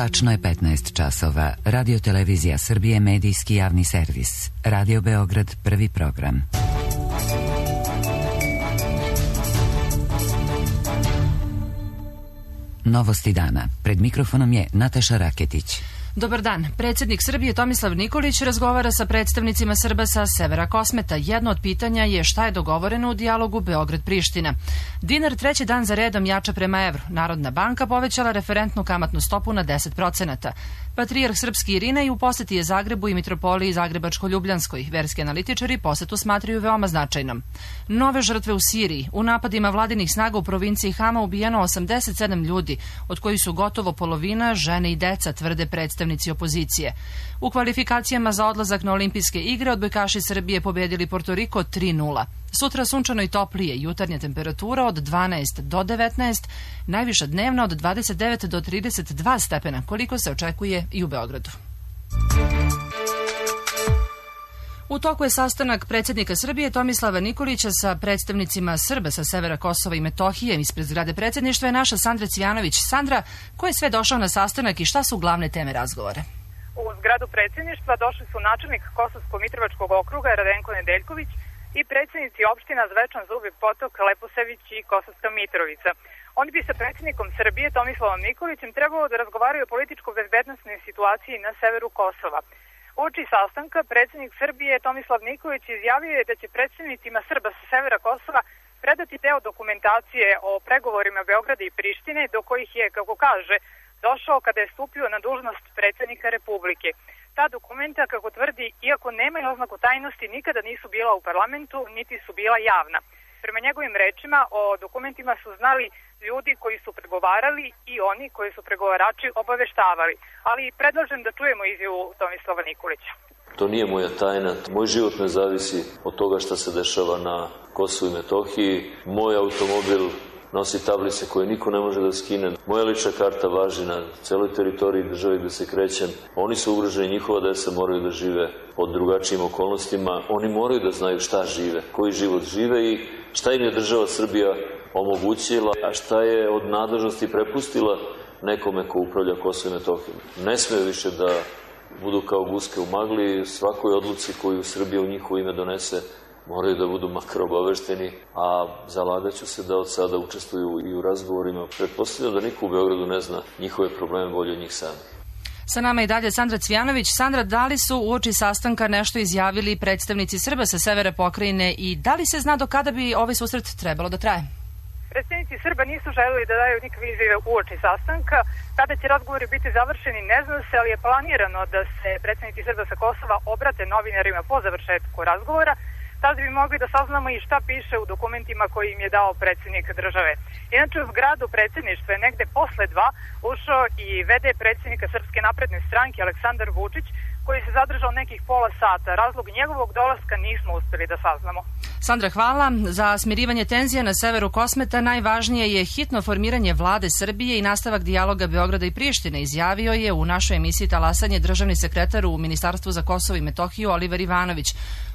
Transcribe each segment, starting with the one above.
Tačno je 15 časova. Radio Televizija Srbije, medijski javni servis. Radio Beograd, prvi program. Novosti dana. Pred mikrofonom je Nataša Raketić. Dobar dan. Predsjednik Srbije Tomislav Nikolić razgovara sa predstavnicima Srba sa severa Kosmeta. Jedno od pitanja je šta je dogovoreno u dijalogu Beograd-Priština. Dinar treći dan za redom jača prema evru. Narodna banka povećala referentnu kamatnu stopu na 10%. Patrijarh srpski Irinej u poseti je Zagrebu i mitropoliji Zagrebačko-Ljubljanskoj. Verski analitičari posetu smatraju veoma značajnom. Nove žrtve u Siriji. U napadima vladinih snaga u provinciji Hama ubijeno 87 ljudi, od kojih su gotovo polovina žene i deca, tvrde predstavnici opozicije. U kvalifikacijama za odlazak na olimpijske igre odbojkaši Srbije pobedili Porto Riko 3:0. Sutra sunčano i toplije, jutarnja temperatura od 12 do 19, najviša dnevna od 29 do 32 stepena, koliko se očekuje i u Beogradu. U toku je sastanak predsjednika Srbije Tomislava Nikolića sa predstavnicima Srba sa severa Kosova i Metohije. Ispred zgrade predsjedništva je naša Sandra Cvijanović. Sandra, ko je sve došao na sastanak i šta su glavne teme razgovora? U zgradu predsjedništva došli su načelnik Kosovsko-Mitrovačkog okruga Radenko Nedeljković i predsjednici opština Zvečan, Zubi Potok, Leposević i Kosovska Mitrovica. Oni bi sa predsjednikom Srbije Tomislavom Nikolićem trebalo da razgovaraju o političko-bezbednosnoj situaciji na severu Kosova. Uoči sastanka predsjednik Srbije Tomislav Nikolić izjavio je da će predstavnicima Srba sa severa Kosova predati deo dokumentacije o pregovorima Beograda i Prištine, do kojih je, kako kaže, došao kada je stupio na dužnost predsjednika Republike. Ta dokumenta, kako tvrdi, iako nemaju oznaku tajnosti, nikada nisu bila u parlamentu, niti su bila javna. Prema njegovim rečima, o dokumentima su znali ljudi koji su pregovarali i oni koji su pregovarači obaveštavali. Ali predlažem da čujemo izjavu Tomislava Nikolića. To nije moja tajna. Moj život ne zavisi od toga šta se dešava na Kosovu i Metohiji. Moj automobil nosi tablice koje niko ne može da skine. Moja lična karta važi na celoj teritoriji države gde se krećem. Oni su ugroženi, njihova deca moraju da žive pod drugačijim okolnostima. Oni moraju da znaju šta žive, koji život žive i šta im je država Srbija omogućila, a šta je od nadležnosti prepustila nekome ko upravlja Kosovo i Metohijom. Ne smeju više da budu kao guske u magli. Svakoj odluci koju Srbija u njihovo ime donese moraju da budu makar obavešteni, a zalagaću se da od sada učestvuju i u razgovorima. Pretpostavljam da niko u Beogradu ne zna njihove probleme bolje od njih sami. Sa nama i dalje Sandra Cvijanović. Sandra, da li su uoči sastanka nešto izjavili predstavnici Srba sa severa pokrajine i da li se zna do kada bi ovaj susret trebalo da traje? Predstavnici Srba nisu želeli da daju nikakve izjave uoči sastanka. Kada će razgovori biti završeni ne zna se, ali je planirano da se predstavnici Srba sa Kosova obrate novinarima po završetku razgovora. Tada bi mogli da saznamo i šta piše u dokumentima koji im je dao predsjednik države. Inače, u zgradu predsjedništva je negde posle 2 ušao i VD predsjednika Srpske napredne stranke Aleksandar Vučić, koji se zadržao nekih pola sata. Razlog njegovog dolaska nismo uspeli da saznamo. Sandra, hvala. Za smirivanje tenzija na severu Kosmeta najvažnije je hitno formiranje vlade Srbije i nastavak dijaloga Beograda i Prištine, izjavio je u našoj emisiji Talasanje državni sekretar u Ministarstvu za Kosovo i Metohiju Oliver Ivanović.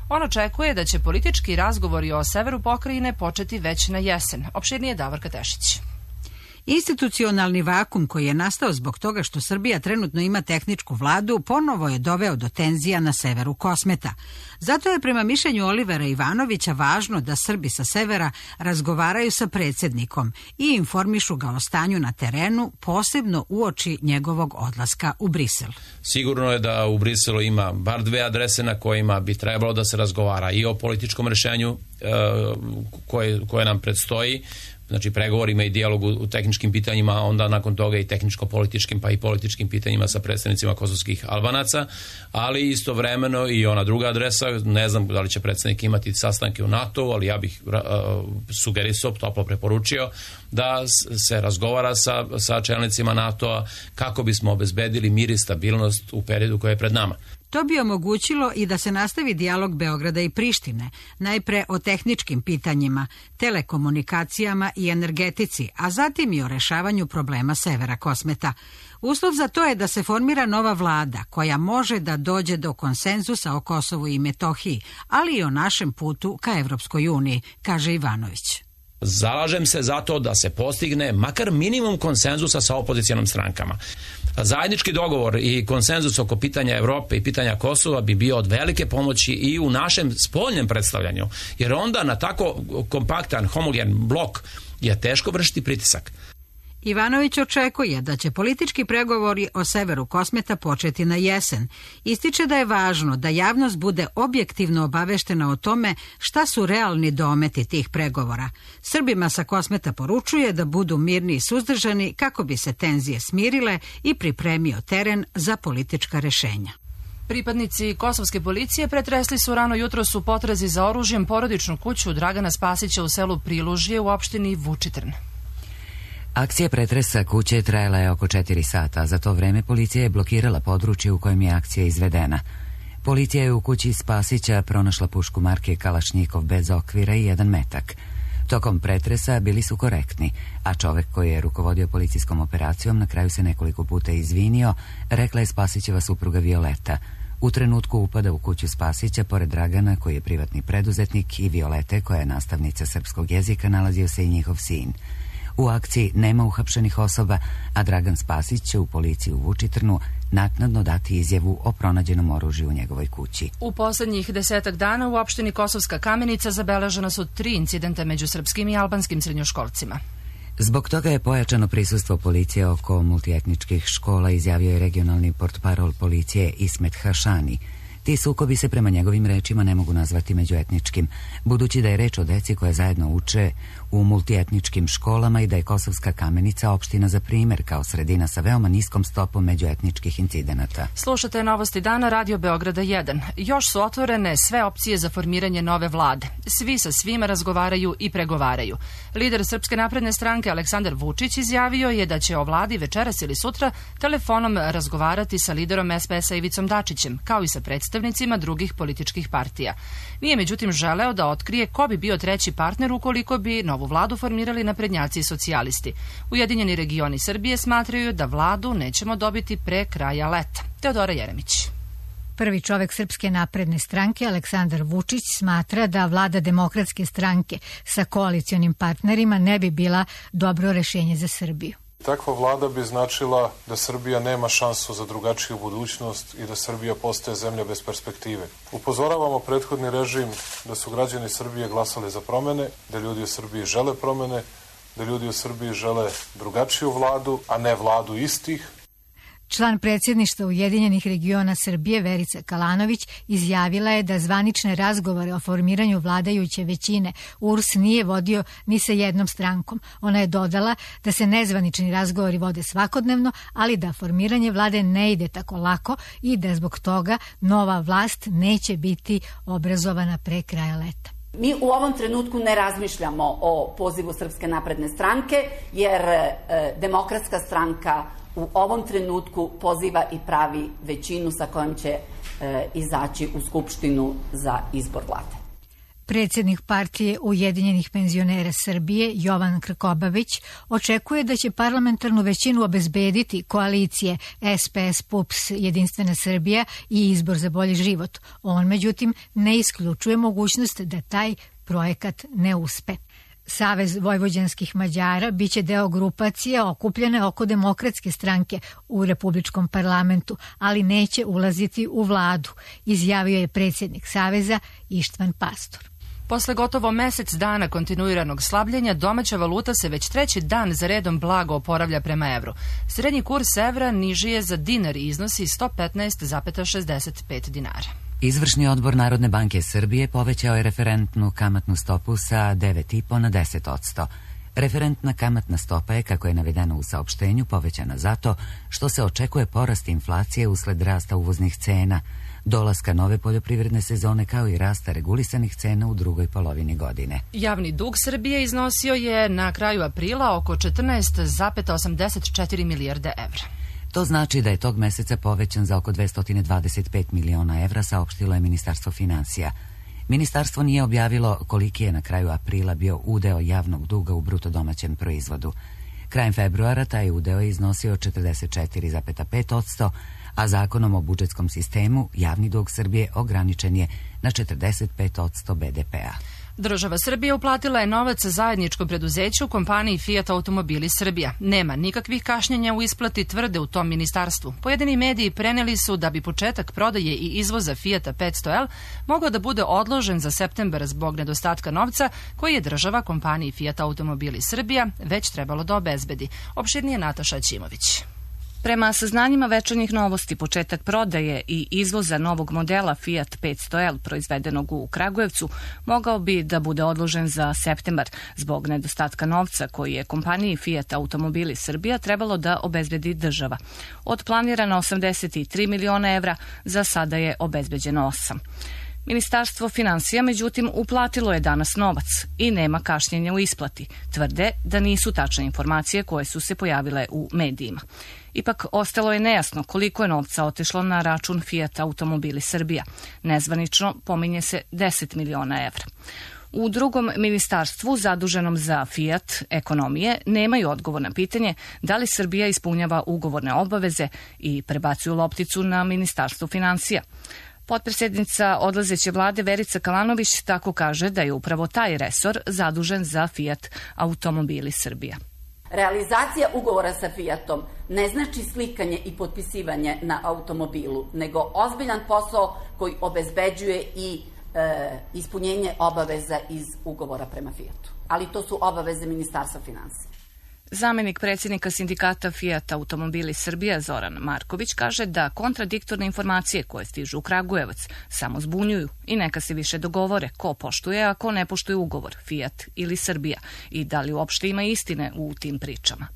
On očekuje da će politički razgovori o severu pokrajine početi već na jesen. Opširnije Davorka Tešić. Institucionalni vakum koji je nastao zbog toga što Srbija trenutno ima tehničku vladu ponovo je doveo do tenzija na severu Kosmeta. Zato je prema mišljenju Olivera Ivanovića važno da Srbi sa severa razgovaraju sa predsjednikom i informišu ga o stanju na terenu, posebno uoči njegovog odlaska u Brisel. Sigurno je da u Briselu ima bar 2 adrese na kojima bi trebalo da se razgovara i o političkom rešenju koje nam predstoji, znači pregovorima i dijalogu u tehničkim pitanjima, a onda nakon toga i tehničko-političkim pa i političkim pitanjima sa predstavnicima kosovskih Albanaca, ali istovremeno i ona druga adresa, ne znam da li će predsjednik imati sastanke u NATO-u, ali ja bih sugerisao, toplo preporučio da se razgovara sa čelnicima NATO-a kako bismo obezbedili mir i stabilnost u periodu koji je pred nama. To bi omogućilo i da se nastavi dijalog Beograda i Prištine, najpre o tehničkim pitanjima, telekomunikacijama i energetici, a zatim i o rešavanju problema severa Kosmeta. Uslov za to je da se formira nova vlada koja može da dođe do konsenzusa o Kosovu i Metohiji, ali i o našem putu ka Evropskoj uniji, kaže Ivanović. Zalažem se za to da se postigne makar minimum konsenzusa sa opozicijalnim strankama. Zajednički dogovor i konsenzus oko pitanja Evrope i pitanja Kosova bi bio od velike pomoći i u našem spoljnem predstavljanju, jer onda na tako kompaktan, homogen blok je teško vršiti pritisak. Ivanović očekuje da će politički pregovori o severu Kosmeta početi na jesen. Ističe da je važno da javnost bude objektivno obaveštena o tome šta su realni dometi tih pregovora. Srbima sa Kosmeta poručuje da budu mirni i suzdržani kako bi se tenzije smirile i pripremio teren za politička rešenja. Pripadnici kosovske policije pretresli su rano jutros u potrazi za oružjem porodičnu kuću Dragana Spasića u selu Prilužje u opštini Vučitrn. Akcija pretresa kuće trajala je oko 4 sata, a za to vreme policija je blokirala područje u kojem je akcija izvedena. Policija je u kući Spasića pronašla pušku marke Kalašnjikov bez okvira i 1 metak. Tokom pretresa bili su korektni, a čovek koji je rukovodio policijskom operacijom na kraju se nekoliko puta izvinio, rekla je Spasićeva supruga Violeta. U trenutku upada u kuću Spasića, pored Dragana, koji je privatni preduzetnik, i Violete, koja je nastavnica srpskog jezika, nalazio se i njihov sin. U akciji nema uhapšenih osoba, a Dragan Spasić će u policiji u Vučitrnu naknadno dati izjavu o pronađenom oružju u njegovoj kući. U poslednjih 10 dana u opštini Kosovska Kamenica zabeležena su 3 incidenta među srpskim i albanskim srednjoškolcima. Zbog toga je pojačano prisustvo policije oko multietničkih škola, izjavio je regionalni portparol policije Ismet Hašani. Ti sukobi se prema njegovim rečima ne mogu nazvati međuetničkim, budući da je reč o deci koje zajedno uče u multietničkim školama i da je Kosovska Kamenica opština za primer kao sredina sa veoma niskom stopom međuetničkih incidenata. Slušate Novosti dana Radio Beograda 1. Još su otvorene sve opcije za formiranje nove vlade. Svi sa svima razgovaraju i pregovaraju. Lider Srpske napredne stranke Aleksandar Vučić izjavio je da će o vladi večeras ili sutra telefonom razgovarati sa liderom SPS-a Ivicom Dačićem, kao i sa predstavnicima drugih političkih partija. Nije međutim želeo da otkrije ko bi bio treći partner ukoliko bi novu vladu formirali naprednjaci i socijalisti. Ujedinjeni regioni Srbije smatraju da vladu nećemo dobiti pre kraja leta. Teodora Jeremić. Prvi čovek Srpske napredne stranke, Aleksandar Vučić, smatra da vlada Demokratske stranke sa koalicionim partnerima ne bi bila dobro rešenje za Srbiju. Takva vlada bi značila da Srbija nema šansu za drugačiju budućnost i da Srbija postaje zemlja bez perspektive. Upozoravamo prethodni režim da su građani Srbije glasali za promene, da ljudi u Srbiji žele promene, da ljudi u Srbiji žele drugačiju vladu, a ne vladu istih. Član predsjedništva Ujedinjenih regiona Srbije Verica Kalanović izjavila je da zvanične razgovore o formiranju vladajuće većine URS nije vodio ni sa jednom strankom. Ona je dodala da se nezvanični razgovori vode svakodnevno, ali da formiranje vlade ne ide tako lako i da zbog toga nova vlast neće biti obrazovana pre kraja leta. Mi u ovom trenutku ne razmišljamo o pozivu Srpske napredne stranke, jer Demokratska stranka u ovom trenutku poziva i pravi većinu sa kojom će izaći u Skupštinu za izbor vlade. Predsjednik partije Ujedinjenih penzionera Srbije, Jovan Krkobabić, očekuje da će parlamentarnu većinu obezbediti koalicije SPS, PUPS, Jedinstvena Srbija i Izbor za bolji život. On, međutim, ne isključuje mogućnost da taj projekat ne uspe. Savez vojvođanskih Mađara biće deo grupacije okupljene oko Demokratske stranke u Republičkom parlamentu, ali neće ulaziti u vladu, izjavio je predsjednik Saveza Ištvan Pastor. Posle gotovo mesec dana kontinuiranog slabljenja, domaća valuta se već 3. dan za redom blago oporavlja prema evru. Srednji kurs evra niži je za dinar i iznosi 115,65 dinara. Izvršni odbor Narodne banke Srbije povećao je referentnu kamatnu stopu sa 9,5 na 10%. Referentna kamatna stopa je, kako je navedeno u saopštenju, povećana zato što se očekuje porast inflacije usled rasta uvoznih cena, dolaska nove poljoprivredne sezone kao i rasta regulisanih cena u drugoj polovini godine. Javni dug Srbije iznosio je na kraju aprila oko 14,84 milijarde evra. To znači da je tog meseca povećan za oko 225 miliona evra, saopštilo je Ministarstvo finansija. Ministarstvo nije objavilo koliki je na kraju aprila bio udeo javnog duga u bruto domaćem proizvodu. Krajem februara taj udeo je iznosio 44,5%, a zakonom o budžetskom sistemu javni dug Srbije ograničen je na 45% BDP-a. Država Srbije uplatila je novac zajedničkom preduzeću kompaniji Fiat Automobili Srbija. Nema nikakvih kašnjenja u isplati, tvrde u tom ministarstvu. Pojedini mediji preneli su da bi početak prodaje i izvoza Fiata 500L mogao da bude odložen za septembar zbog nedostatka novca koji je država kompaniji Fiat Automobili Srbija već trebalo da obezbedi. Opširnije Nataša Ćimović. Prema saznanjima Večernjih novosti, početak prodaje i izvoza novog modela Fiat 500L proizvedenog u Kragujevcu mogao bi da bude odložen za septembar zbog nedostatka novca koji je kompaniji Fiat Automobili Srbija trebalo da obezbedi država. Od planirano 83 miliona evra za sada je obezbeđeno 8. Ministarstvo finansija, međutim, uplatilo je danas novac i nema kašnjenja u isplati. Tvrde da nisu tačne informacije koje su se pojavile u medijima. Ipak, ostalo je nejasno koliko je novca otišlo na račun Fiat Automobili Srbija. Nezvanično pominje se 10 miliona evra. U drugom ministarstvu zaduženom za Fiat ekonomije nemaju odgovor na pitanje da li Srbija ispunjava ugovorne obaveze i prebacuju lopticu na Ministarstvo finansija. Potpredsjednica odlazeće vlade Verica Kalanović tako kaže da je upravo taj resor zadužen za Fiat Automobili Srbija. Realizacija ugovora sa Fiatom ne znači slikanje i potpisivanje na automobilu, nego ozbiljan posao koji obezbeđuje i ispunjenje obaveza iz ugovora prema Fiatu. Ali to su obaveze Ministarstva finansija. Zamenik predsjednika sindikata Fiat Automobili Srbija Zoran Marković kaže da kontradiktorne informacije koje stižu u Kragujevac samo zbunjuju i neka se više dogovore ko poštuje, a ko ne poštuje ugovor, Fiat ili Srbija, i da li uopšte ima istine u tim pričama.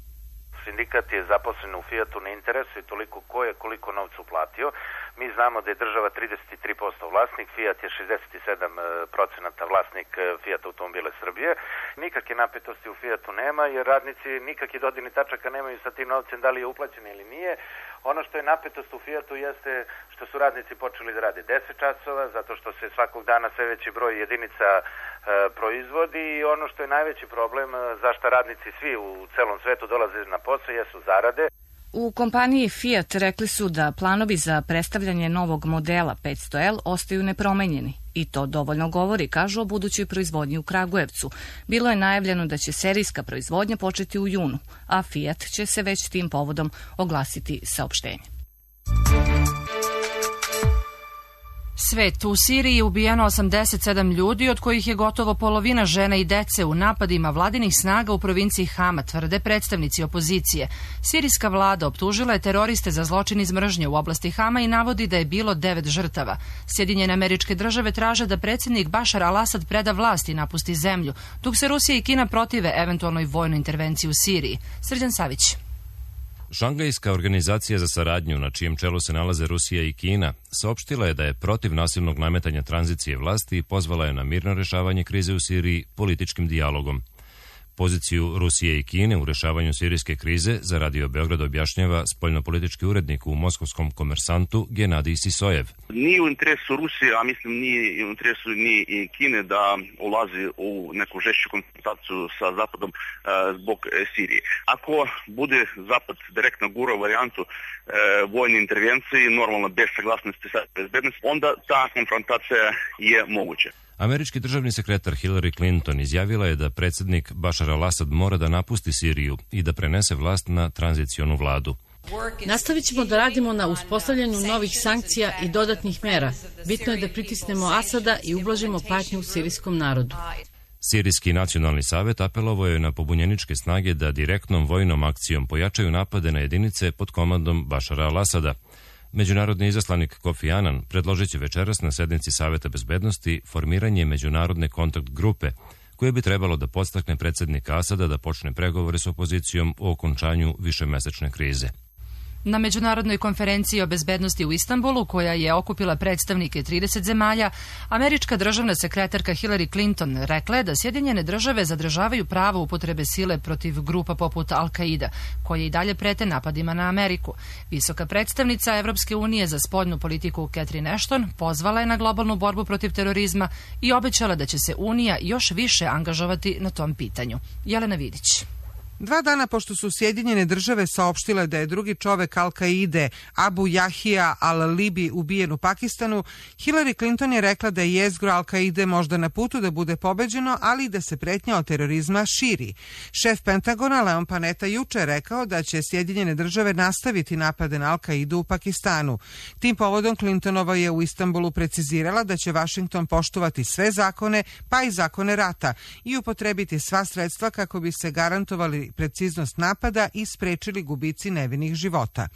Sindikat je zaposlen u Fiatu, ne interesuje toliko ko je koliko novca uplatio. Mi znamo da je država 33% vlasnik, Fiat je 67% vlasnik Fiat Automobile Srbije. Nikakve napetosti u Fiatu nema jer radnici nikakve dodirnih tačaka nemaju sa tim novcem da li je uplaćen ili nije. Ono što je napetost u Fiatu jeste što su radnici počeli da rade 10 časova, zato što se svakog dana sve veći broj jedinica proizvodi i ono što je najveći problem zašto radnici svi u celom svetu dolaze na posao jesu zarade. U kompaniji Fiat rekli su da planovi za predstavljanje novog modela 500L ostaju nepromenjeni. I to dovoljno govori, kažu, o budućoj proizvodnji u Kragujevcu. Bilo je najavljeno da će serijska proizvodnja početi u junu, a Fiat će se već tim povodom oglasiti saopštenje. Svet. U Siriji je ubijeno 87 ljudi, od kojih je gotovo polovina žena i dece u napadima vladinih snaga u provinciji Hama, tvrde predstavnici opozicije. Sirijska vlada optužila je teroriste za zločin iz mržnje u oblasti Hama i navodi da je bilo 9 žrtava. Sjedinjene Američke Države traže da predsjednik Bašar al-Asad preda vlast i napusti zemlju, dok se Rusija i Kina protive eventualnoj vojnoj intervenciji u Siriji. Srđan Savić. Šangajska organizacija za saradnju, na čijem čelu se nalaze Rusija i Kina, saopštila je da je protiv nasilnog nametanja tranzicije vlasti i pozvala je na mirno rešavanje krize u Siriji političkim dijalogom. Poziciju Rusije i Kine u rešavanju sirijske krize za Radio Beograd objašnjava spoljnopolitički urednik u moskovskom Komersantu Genadij Sisojev. Nije u interesu Rusije, a mislim nije u interesu ni Kine da ulazi u neku žešću konfrontaciju sa Zapadom zbog Sirije. Ako bude Zapad direktno gurao varijantu vojne intervencije, normalno bez saglasnosti sa bezbednosti, onda ta konfrontacija je moguća. Američki državni sekretar Hillary Clinton izjavila je da predsjednik Bašar al-Asad mora da napusti Siriju i da prenese vlast na tranzicionu vladu. Nastavit ćemo da radimo na uspostavljanju novih sankcija i dodatnih mera. Bitno je da pritisnemo Asada i ublažimo patnju sirijskom narodu. Sirijski nacionalni savet apelovao je na pobunjeničke snage da direktnom vojnom akcijom pojačaju napade na jedinice pod komandom Bašara al-Asada. Međunarodni izaslanik Kofi Annan predložit će večeras na sednici Saveta bezbednosti formiranje međunarodne kontakt grupe koje bi trebalo da podstakne predsjednika Asada da počne pregovore s opozicijom o okončanju višemesečne krize. Na međunarodnoj konferenciji o bezbednosti u Istanbulu, koja je okupila predstavnike 30 zemalja, američka državna sekretarka Hillary Clinton rekla je da Sjedinjene države zadržavaju pravo upotrebe sile protiv grupa poput Al-Qaida, koje i dalje prete napadima na Ameriku. Visoka predstavnica Evropske unije za spoljnu politiku Catherine Ashton pozvala je na globalnu borbu protiv terorizma i obećala da će se Unija još više angažovati na tom pitanju. Jelena Vidić. 2 dana pošto su Sjedinjene države saopštile da je drugi čovek Al-Kaide, Abu Jahija al-Libi, ubijen u Pakistanu, Hillary Clinton je rekla da je jezgro Al-Kaide možda na putu da bude pobeđeno, ali i da se pretnja od terorizma širi. Šef Pentagona Leon Panetta juče je rekao da će Sjedinjene države nastaviti napade na Al-Kaidu u Pakistanu. Tim povodom Clintonova je u Istanbulu precizirala da će Washington poštovati sve zakone, pa i zakone rata, i upotrebiti sva sredstva kako bi se garantovali preciznost napada i sprečili gubici nevinih života.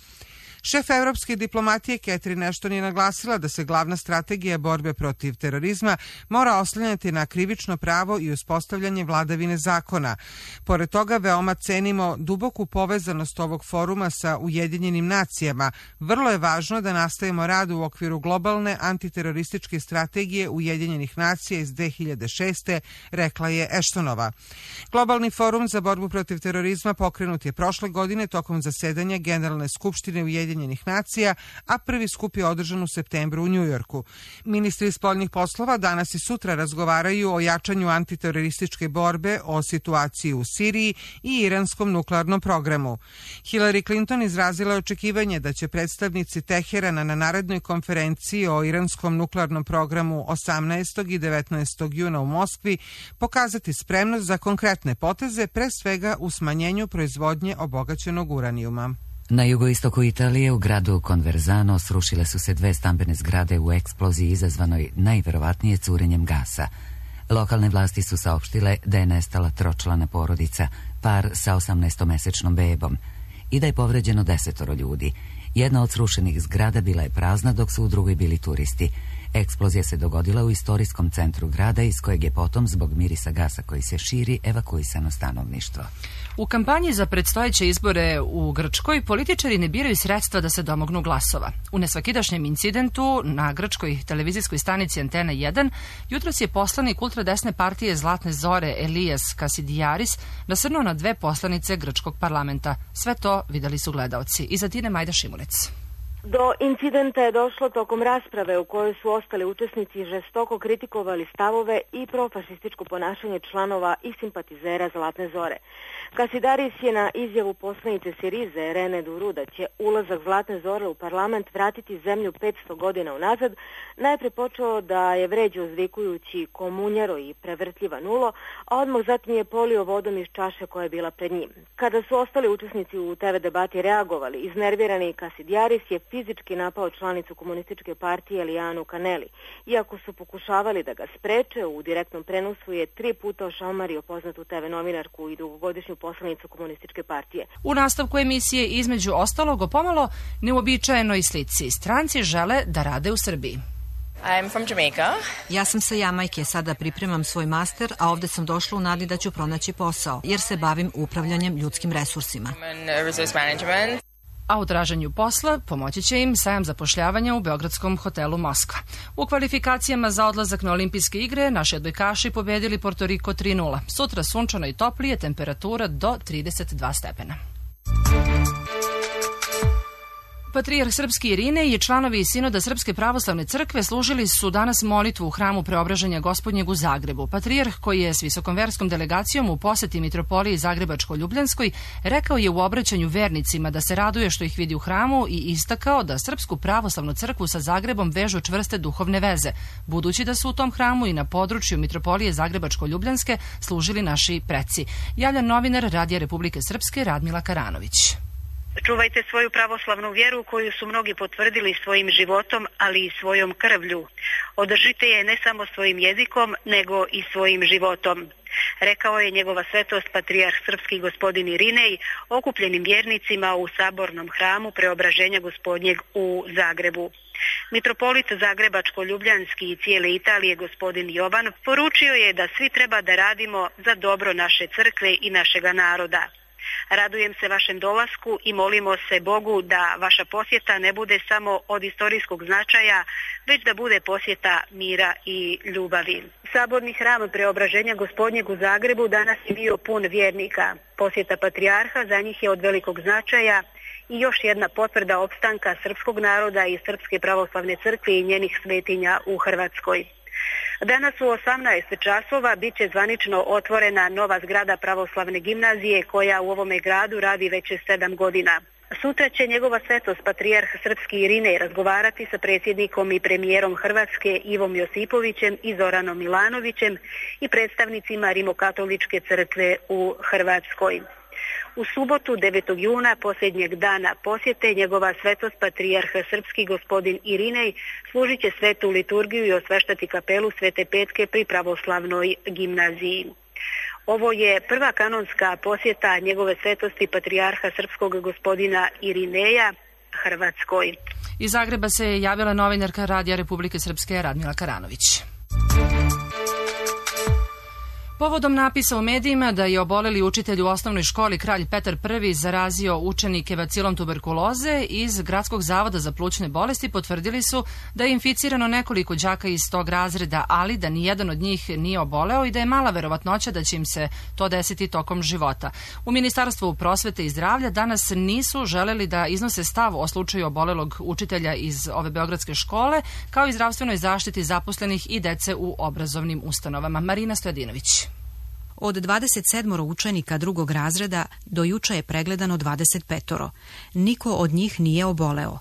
Šef evropske diplomatije Catherine Ashton je naglasila da se glavna strategija borbe protiv terorizma mora oslanjati na krivično pravo i uspostavljanje vladavine zakona. Pored toga, veoma cenimo duboku povezanost ovog foruma sa Ujedinjenim nacijama. Vrlo je važno da nastavimo rad u okviru globalne antiterorističke strategije Ujedinjenih nacija iz 2006. rekla je Ashtonova. Globalni forum za borbu protiv terorizma pokrenut je prošle godine tokom zasedanja Generalne skupštine Ujedinjenih nacija, a prvi skup je održan u septembru u Njujorku. Ministri spoljnih poslova danas i sutra razgovaraju o jačanju antiterorističke borbe, o situaciji u Siriji i iranskom nuklearnom programu. Hillary Clinton izrazila je očekivanje da će predstavnici Teherana na narednoj konferenciji o iranskom nuklearnom programu 18. i 19. juna u Moskvi pokazati spremnost za konkretne poteze, pre svega u smanjenju proizvodnje obogaćenog uranijuma. Na jugoistoku Italije u gradu Conversano srušile su se 2 stambene zgrade u eksploziji izazvanoj najverovatnije curenjem gasa. Lokalne vlasti su saopštile da je nestala tročlana porodica, par sa 18-mesečnom bebom, i da je povređeno 10 ljudi. Jedna od srušenih zgrada bila je prazna, dok su u drugoj bili turisti. Eksplozija se dogodila u istorijskom centru grada, iz kojeg je potom, zbog mirisa gasa koji se širi, evakuisano stanovništvo. U kampanji za predstojeće izbore u Grčkoj političari ne biraju sredstva da se domognu glasova. U nesvakidašnjem incidentu na grčkoj televizijskoj stanici Antena 1 jutros je poslanik ultradesne partije Zlatne zore Elijas Kasidijaris nasrnuo na 2 poslanice grčkog parlamenta. Sve to videli su gledaoci. Iza Tine Majda Šimulec. Do incidenta je došlo tokom rasprave u kojoj su ostali učesnici žestoko kritikovali stavove i profašističko ponašanje članova i simpatizera Zlatne zore. Kasidaris je na izjavu poslanice Sirize Rene Duru da će ulazak Zlatne zore u parlament vratiti zemlju 500 godina unazad, najpre počeo da je vređe uzvikujući komunjaro i prevrtljiva nulo, a odmah zatim je polio vodom iz čaše koja je bila pred njim. Kada su ostali učesnici u TV debati reagovali, iznervirani Kasidijaris je fizički napao članicu komunističke partije Elijanu Kaneli. Iako su pokušavali da ga spreče, u direktnom prenosu je 3 puta ošamario poznatu TV novinarku i dugogodišnju poslanicu komunističke partije. U nastavku emisije između ostalog o pomalo neuobičajenoj slici. Stranci žele da rade u Srbiji. I'm from Jamaica. Ja sam sa Jamajke, sada pripremam svoj master, a ovde sam došla u nadi da ću pronaći posao, jer se bavim upravljanjem ljudskim resursima. A u traženju posla pomoći će im sajam zapošljavanja u beogradskom hotelu Moskva. U kvalifikacijama za odlazak na olimpijske igre naši odbojkaši pobedili Porto Riko 3:0. Sutra sunčano i toplije, temperatura do 32 stepena. Patrijarh srpski Irinej i članovi sinoda Srpske pravoslavne crkve služili su danas molitvu u hramu Preobraženja Gospodnjeg u Zagrebu. Patrijarh, koji je s visokom verskom delegacijom u poseti mitropoliji Zagrebačko-Ljubljanskoj, rekao je u obraćanju vernicima da se raduje što ih vidi u hramu i istakao da Srpsku pravoslavnu crkvu sa Zagrebom vežu čvrste duhovne veze, budući da su u tom hramu i na području mitropolije Zagrebačko-Ljubljanske služili naši preci. Javlja novinar Radija Republike Srpske Radmila Karanović. Čuvajte svoju pravoslavnu vjeru koju su mnogi potvrdili svojim životom, ali i svojom krvlju. Održite je ne samo svojim jezikom, nego i svojim životom. Rekao je njegova svetost patrijarh srpski gospodin Irinej okupljenim vjernicima u sabornom hramu Preobraženja Gospodnjeg u Zagrebu. Mitropolit Zagrebačko-Ljubljanski i cijele Italije gospodin Jovan poručio je da svi treba da radimo za dobro naše crkve i našega naroda. Radujem se vašem dolasku i molimo se Bogu da vaša posjeta ne bude samo od istorijskog značaja, već da bude posjeta mira i ljubavi. Saborni hram Preobraženja Gospodnjeg u Zagrebu danas je bio pun vjernika. Posjeta patrijarha za njih je od velikog značaja i još jedna potvrda opstanka srpskog naroda i Srpske pravoslavne crkve i njenih svetinja u Hrvatskoj. Danas u 18 časova bit će zvanično otvorena nova zgrada pravoslavne gimnazije koja u ovome gradu radi već 7 godina. Sutra će njegova svetost patrijarh srpski Irinej razgovarati sa predsjednikom i premijerom Hrvatske Ivom Josipovićem i Zoranom Milanovićem i predstavnicima Rimokatoličke crkve u Hrvatskoj. U subotu 9. juna, posljednjeg dana posjete, njegova svetost patrijarh srpski gospodin Irinej služit će svetu liturgiju i osveštati kapelu Svete Petke pri pravoslavnoj gimnaziji. Ovo je prva kanonska posjeta njegove svetosti patrijarha srpskog gospodina Irineja Hrvatskoj. Iz Zagreba se javila novinarka Radija Republike Srpske Radmila Karanović. Povodom napisa u medijima da je oboleli učitelj u osnovnoj školi Kralj Petar I zarazio učenike bacilom tuberkuloze, iz Gradskog zavoda za plućne bolesti potvrdili su da je inficirano nekoliko đaka iz tog razreda, ali da nijedan od njih nije oboleo i da je mala verovatnoća da će im se to desiti tokom života. U Ministarstvu prosvete i zdravlja danas nisu želeli da iznose stav o slučaju obolelog učitelja iz ove beogradske škole, kao i zdravstvenoj zaštiti zaposlenih i dece u obrazovnim ustanovama. Marina Stojadinović. Od 27 učenika drugog razreda do juče je pregledano 25. Niko od njih nije oboleo.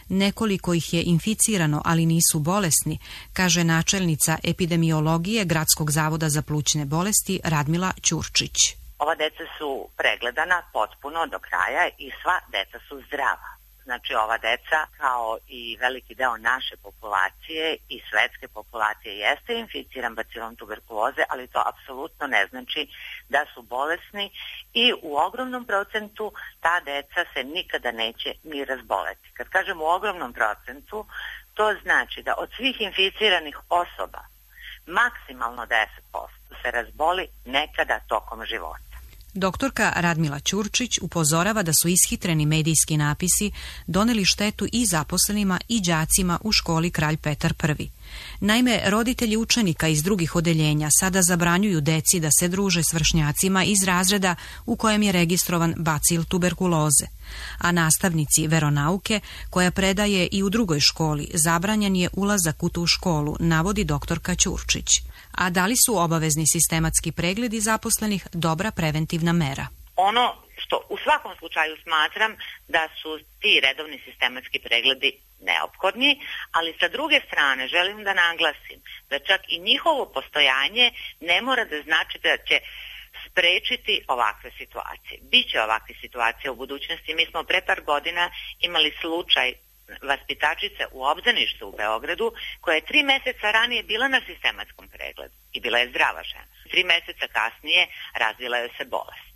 Nekoliko ih je inficirano, ali nisu bolesni, kaže načelnica epidemiologije Gradskog zavoda za plućne bolesti Radmila Ćurčić. Ova deca su pregledana potpuno do kraja i sva deca su zdrava. Znači ova deca, kao i veliki deo naše populacije i svetske populacije, jeste inficiran bacilom tuberkuloze, ali to apsolutno ne znači da su bolesni i u ogromnom procentu ta deca se nikada neće ni razboleti. Kad kažem u ogromnom procentu, to znači da od svih inficiranih osoba maksimalno 10% se razboli nekada tokom života. Doktorka Radmila Ćurčić upozorava da su ishitreni medijski napisi doneli štetu i zaposlenima i đacima u školi Kralj Petar I. Naime, roditelji učenika iz drugih odeljenja sada zabranjuju deci da se druže s vršnjacima iz razreda u kojem je registrovan bacil tuberkuloze, a nastavnici veronauke, koja predaje i u drugoj školi, zabranjen je ulazak u tu školu, navodi doktorka Ćurčić. A da li su obavezni sistematski pregledi zaposlenih dobra preventivna mera? Ono što u svakom slučaju smatram da su ti redovni sistematski pregledi neophodni, ali sa druge strane želim da naglasim da čak i njihovo postojanje ne mora da znači da će sprečiti ovakve situacije. Biće ovakve situacije u budućnosti. Mi smo pre par godina imali slučaj vaspitačice u obdaništu u Beogradu koja je 3 meseca ranije bila na sistematskom pregledu i bila je zdrava žena. 3 meseca kasnije razvila joj se bolest.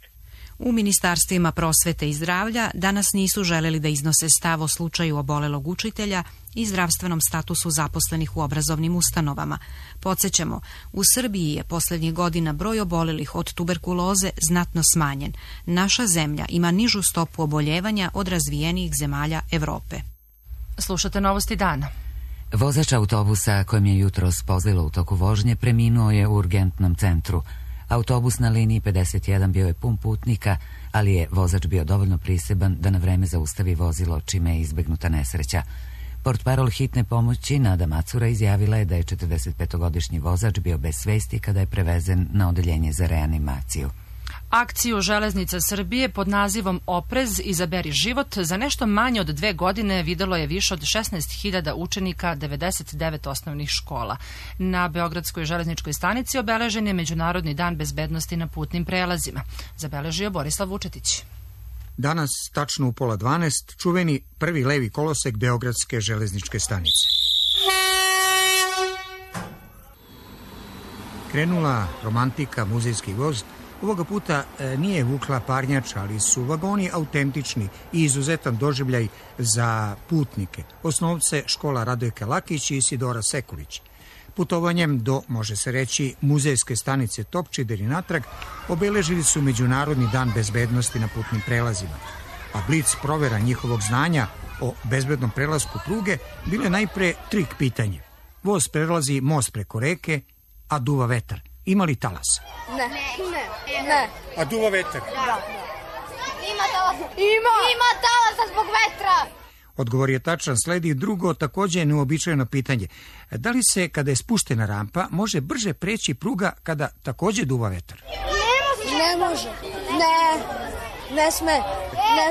U ministarstvima prosvete i zdravlja danas nisu želeli da iznose stav o slučaju obolelog učitelja i zdravstvenom statusu zaposlenih u obrazovnim ustanovama. Podsećamo, u Srbiji je posljednjih godina broj obolelih od tuberkuloze znatno smanjen. Naša zemlja ima nižu stopu oboljevanja od razvijenijih zemalja Evrope. Slušate novosti dana. Vozač autobusa kojem je jutros pozlilo u toku vožnje preminuo je u urgentnom centru. Autobus na liniji 51 bio je pun putnika, ali je vozač bio dovoljno priseban da na vreme zaustavi vozilo, čime je izbegnuta nesreća. Portparol hitne pomoći Nada Macura izjavila je da je 45-godišnji vozač bio bez svesti kada je prevezen na odeljenje za reanimaciju. Akciju Železnica Srbije pod nazivom Oprez, izaberi život za nešto manje od 2 godine videlo je više od 16.000 učenika 99 osnovnih škola. Na Beogradskoj železničkoj stanici obeležen je Međunarodni dan bezbednosti na putnim prelazima. Zabeležio Borislav Vučetić. Danas, tačno u 11:30, čuveni prvi levi kolosek Beogradske železničke stanice. Krenula romantika, muzejski voz. Ovoga puta nije vukla parnjača, ali su vagoni autentični i izuzetan doživljaj za putnike. Osnovce škola Radojka Lakić i Isidora Sekulić. Putovanjem do, može se reći, muzejske stanice Topčider i natrag obeležili su Međunarodni dan bezbednosti na putnim prelazima. A blic provera njihovog znanja o bezbednom prelasku pruge bile najpre trik pitanje. Voz prelazi most preko reke, a duva vetar. Ima li talas? Ne. A duva vetar? Da. Ima talasa zbog vetra. Odgovor je tačan, sledi drugo takođe neuobičajeno pitanje. Da li se, kada je spuštena rampa, može brže preći pruga kada takođe duva vetar? Ne može. Ne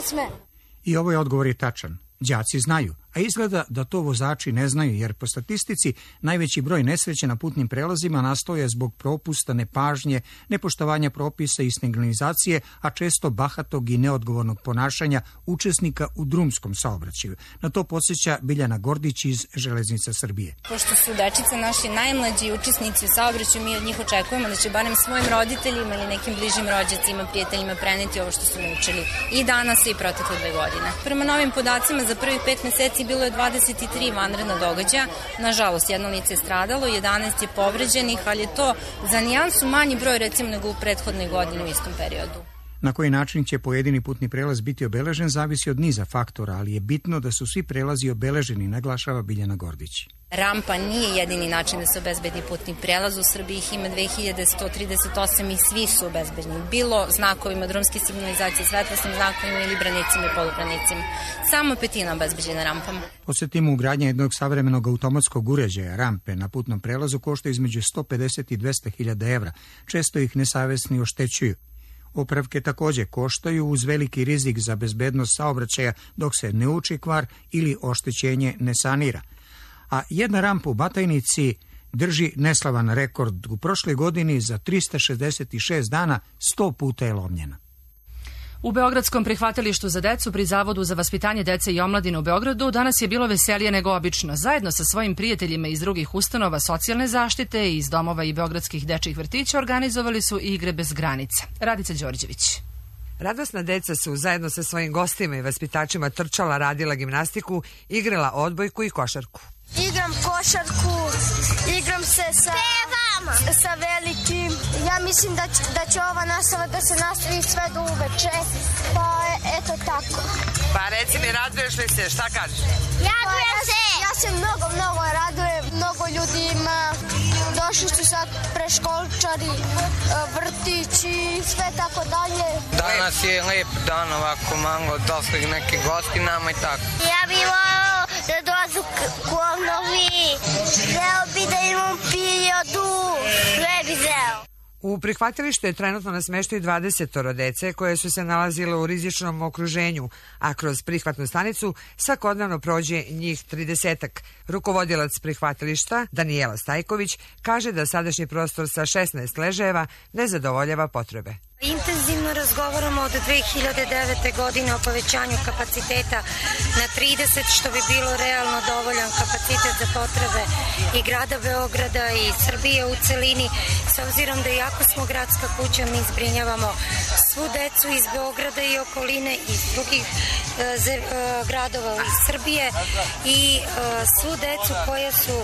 sme. I ovaj odgovor je tačan. Đaci znaju, a izgleda da to vozači ne znaju, jer po statistici najveći broj nesreća na putnim prelazima nastoje zbog propusta, nepažnje, nepoštovanja propisa i signalizacije, a često bahatog i neodgovornog ponašanja učesnika u drumskom saobraćaju. Na to podsjeća Biljana Gordić iz Železnica Srbije. Pošto su dečice naši najmlađi učesnici u saobraćaju, mi od njih očekujemo da će barem svojim roditeljima ili nekim bližim rođacima, prijateljima preneti ovo što su naučili i danas i protekle 2 godine. Prema novim podacima, za prvih 5 meseci bilo je 23 vanredna događaja. Nažalost, 1 lice je stradalo, 11 je povređenih, ali je to za nijansu manji broj recimo nego u prethodnoj godini u istom periodu. Na koji način će pojedini putni prelaz biti obeležen zavisi od niza faktora, ali je bitno da su svi prelazi obeleženi, naglašava Biljana Gordić. Rampa nije jedini način da se obezbedi putni prelaz. U Srbiji ih ima 2138 i svi su obezbedni. Bilo znakovima drumske signalizacije, svetlosnim znakovima ili branicima i polubranicima. Samo 1/5 obezbeđena rampama. Podsjetimo, ugradnja jednog savremenog automatskog uređaja rampe na putnom prelazu košta između 150 i 200.000 evra. Često ih nesavesni oštećuju. Opravke takođe koštaju uz veliki rizik za bezbednost saobraćaja dok se ne uči kvar ili oštećenje ne sanira. A jedna rampa u Batajnici drži neslavan rekord. U prošloj godini za 366 dana 100 puta je lomljena. U Beogradskom prihvatilištu za decu pri Zavodu za vaspitanje dece i omladine u Beogradu danas je bilo veselije nego obično. Zajedno sa svojim prijateljima iz drugih ustanova socijalne zaštite i iz domova i beogradskih dečjih vrtića organizovali su igre bez granica. Radica Đorđević. Radosna deca su zajedno sa svojim gostima i vaspitačima trčala, radila gimnastiku, igrala odbojku i košarku. Igram košarku, igram se sa velikim. Ja mislim da će ova nastava da se nastavi sve do uveče. Pa eto tako. Pa reci mi, raduješ li se? Šta kažeš? Radujem se! Ja se mnogo radujem. Mnogo ljudi ima. Došli su sad preškolčari, vrtići, sve tako dalje. Danas je lep dan, ovako malo došli neki gosti nama i tako. Ja bih volao da dođu konovi. Hteo bi da imam periodu. Sve bi zeo. U prihvatilištu je trenutno na smeštaju 20 dece koje su se nalazile u rizičnom okruženju, a kroz prihvatnu stanicu svakodnevno prođe njih 30-ak. Rukovodilac prihvatilišta, Danijela Stajković, kaže da sadašnji prostor sa 16 ležajeva ne zadovoljava potrebe. Intenzivno razgovaramo od 2009. godine o povećanju kapaciteta na 30, što bi bilo realno dovoljan kapacitet za potrebe i grada Beograda i Srbije u celini, s obzirom da iako smo gradska kuća, mi zbrinjavamo svu decu iz Beograda i okoline i iz drugih gradova iz Srbije i svu decu koje su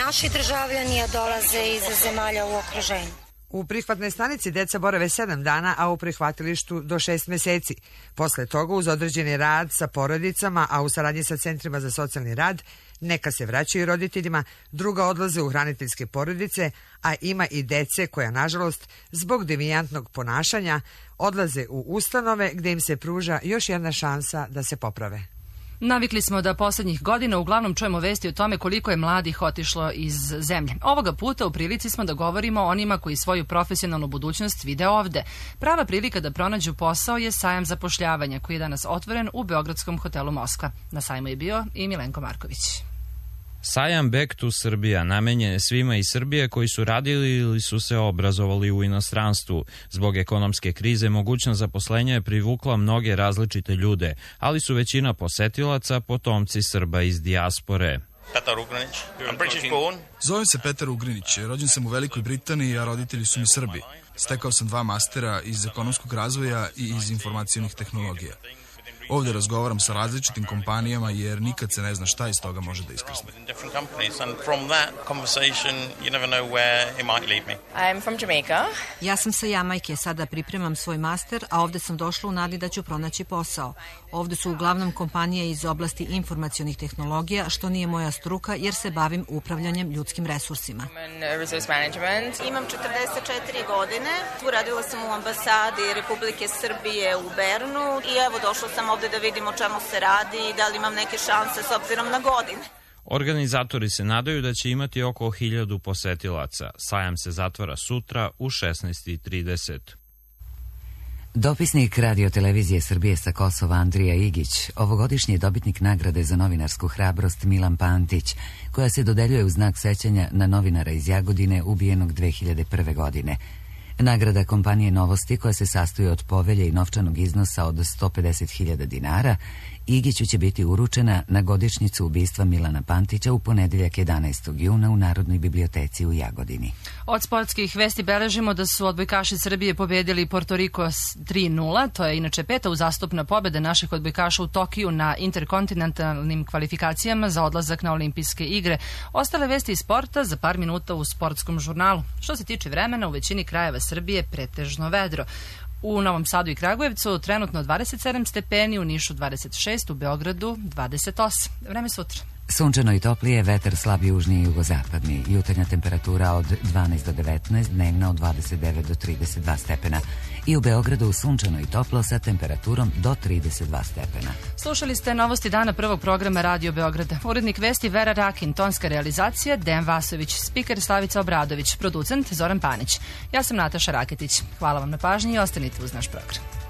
naši državljani, a dolaze iz zemalja u okruženju. U prihvatnoj stanici deca borave 7 dana, a u prihvatilištu do 6 meseci. Posle toga, uz određeni rad sa porodicama, a u saradnji sa centrima za socijalni rad, neka se vraćaju roditeljima, druga odlaze u hraniteljske porodice, a ima i dece koja, nažalost, zbog devijantnog ponašanja, odlaze u ustanove gde im se pruža još jedna šansa da se poprave. Navikli smo da poslednjih godina uglavnom čujemo vesti o tome koliko je mladih otišlo iz zemlje. Ovoga puta u prilici smo da govorimo o onima koji svoju profesionalnu budućnost vide ovde. Prava prilika da pronađu posao je sajam zapošljavanja koji je danas otvoren u beogradskom hotelu Moskva. Na sajmu je bio i Milenko Marković. Sajam Back to Srbija namenjen je svima iz Srbije koji su radili ili su se obrazovali u inostranstvu. Zbog ekonomske krize mogućnost zaposlenja je privukla mnoge različite ljude, ali su većina posetilaca potomci Srba iz dijaspore. Petar Ugrinić. I'm British born. Zovem se Petar Ugrinić. Rođen sam u Velikoj Britaniji, a roditelji su mi Srbi. Stekao sam 2 mastera iz ekonomskog razvoja i iz informacionih tehnologija. Ovdje razgovaram sa različitim kompanijama jer nikad se ne zna šta iz toga može da iskrsne. Ja sam sa Jamajke, sada pripremam svoj master, a ovde sam došla u nadi da ću pronaći posao. Ovde su uglavnom kompanije iz oblasti informacionih tehnologija, što nije moja struka jer se bavim upravljanjem ljudskim resursima. Imam 44 godine, tu radila sam u ambasadi Republike Srbije u Bernu i evo došla sam ovde da vidim o čemu se radi i da li imam neke šanse s obzirom na godine. Organizatori se nadaju da će imati oko 1000 posetilaca. Sajam se zatvara sutra u 16:30. Dopisnik Radio-televizije Srbije sa Kosova Andrija Igić, ovogodišnji je dobitnik nagrade za novinarsku hrabrost Milan Pantić, koja se dodeljuje u znak sećanja na novinara iz Jagodine ubijenog 2001. godine. Nagrada kompanije Novosti, koja se sastoji od povelje i novčanog iznosa od 150.000 dinara, Igiću će biti uručena na godišnjicu ubistva Milana Pantića u ponedeljak 11. juna u Narodnoj biblioteci u Jagodini. Od sportskih vesti beležimo da su odbojkaši Srbije pobedili Porto Riko 3:0. To je inače 5. uzastopna pobjeda naših odbojkaša u Tokiju na interkontinentalnim kvalifikacijama za odlazak na olimpijske igre. Ostale vesti iz sporta za par minuta u sportskom žurnalu. Što se tiče vremena, u većini krajeva Srbije pretežno vedro. U Novom Sadu i Kragujevcu trenutno 27 stepeni, u Nišu 26, u Beogradu 28. Vreme sutra. Sunčano i toplije, vetar slab južni i jugozapadni. Jutarnja temperatura od 12 do 19, dnevna od 29 do 32 stepena. I u Beogradu sunčano i toplo sa temperaturom do 32 stepena. Slušali ste novosti dana prvog programa Radio Beograda. Urednik vesti Vera Rakin, tonska realizacija Dejan Vasović, spiker Slavica Obradović, producent Zoran Panić. Ja sam Nataša Raketić. Hvala vam na pažnji i ostanite uz naš program.